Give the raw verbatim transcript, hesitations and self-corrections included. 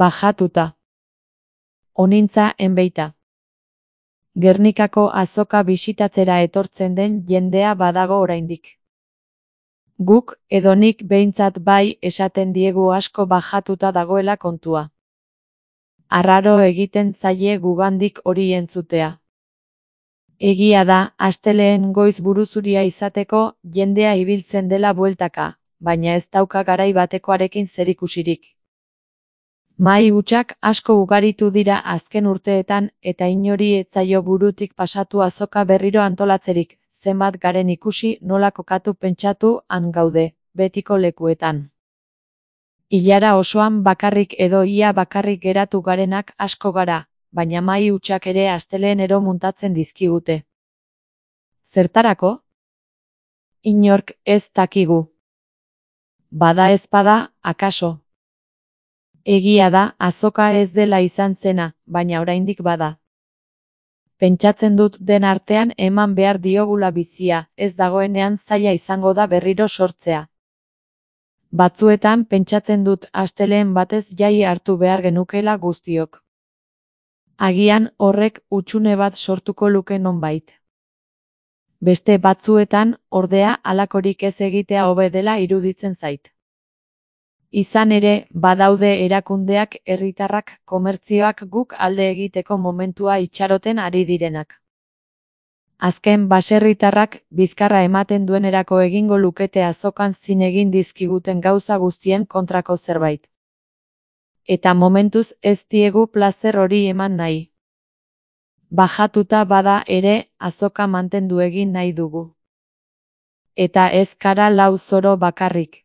Bajatuta. Onintza enbeita. Gernikako azoka bisitatzera etortzen den jendea badago oraindik. Guk, edo nik behintzat bai, esaten diegu asko bajatuta dagoela kontua. Arraro egiten zaie gugandik hori entzutea. Egia da, astelehen goiz buruzuria izateko jendea ibiltzen dela bueltaka, baina ez dauka garai batekoarekin zerikusirik. Mahai hutsak asko ugaritu dira azken urteetan eta inori ez zaio burutik pasatu azoka berriro antolatzerik, zenbat garen ikusi nola kokatu pentsatu han gaude, betiko lekuetan. Ilara osoan bakarrik edo ia bakarrik geratu garenak asko gara, baina mahai hutsak ere astelehenero muntatzen dizkigute. Zertarako? Inork ez dakigu. Bada ez bada, akaso. Egia da, azoka ez dela izan zena, baina oraindik bada. Pentsatzen dut den artean eman behar diogula bizia, ez dagoenean zaila izango da berriro sortzea. Batzuetan pentsatzen dut astelehen batez jai hartu behar genukela guztiok. Agian horrek hutsune bat sortuko luke nonbait. Beste batzuetan, ordea, halakorik ez egitea hobe dela iruditzen zait. Izan ere, badaude erakundeak, herritarrak, komertzioak guk alde egiteko momentua itxaroten ari direnak. Azken baserritarrak, bizkarra ematen duenerako egingo lukete azokan zin egin dizkiguten gauza guztien kontrako zerbait. Eta momentuz ez diegu plazer hori eman nahi. Bajatuta bada ere, azoka mantendu egin nahi dugu. Eta ez kara lau zoro bakarrik.